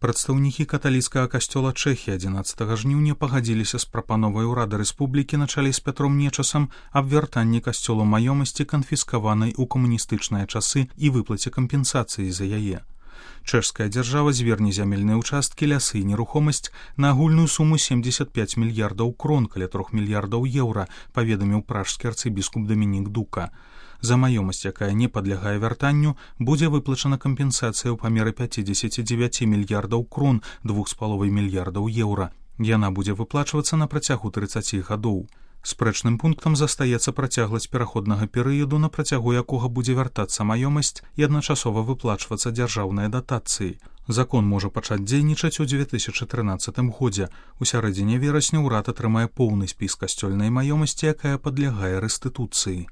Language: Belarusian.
Прадстаўнікі каталіцкага касцёла Чэхіі 11 жніўня пагадзіліся з прапановай урада рэспублікі на чале з Пятром Нечасам аб вяртанні касцёлу маёмасці, канфіскаванай у камуністычныя часы, і выплаце кампенсацыі за яе. Чэшская дзяржава зверне зямельныя ўчасткі, лясы і нерухомасць на агульную суму 75 мільярдаў крон, каля 3 мільярдаў еўра, паведаміў пражскі арцыбіскуп Дамінік Дука. За маёмасць, якая не падлягае вяртанню, будзе выплачана кампенсацыя ў памеры 59 мільярдаў крон, 2,5 мільярдаў еўра. Яна будзе выплачвацца на працягу 30 гадоў. Спрэчным пунктам застаецца працягласць пераходнага перыяду, на працягу якога будзе вяртацца маёмасць і адначасова выплачвацца дзяржаўныя датацыі. Закон можа пачаць дзейнічаць у 2013 годзе. У сярэдзіне верасня ўрад атрымае поўны спіс касцёльнай маёмасці, якая падлягае рэстытуцыі.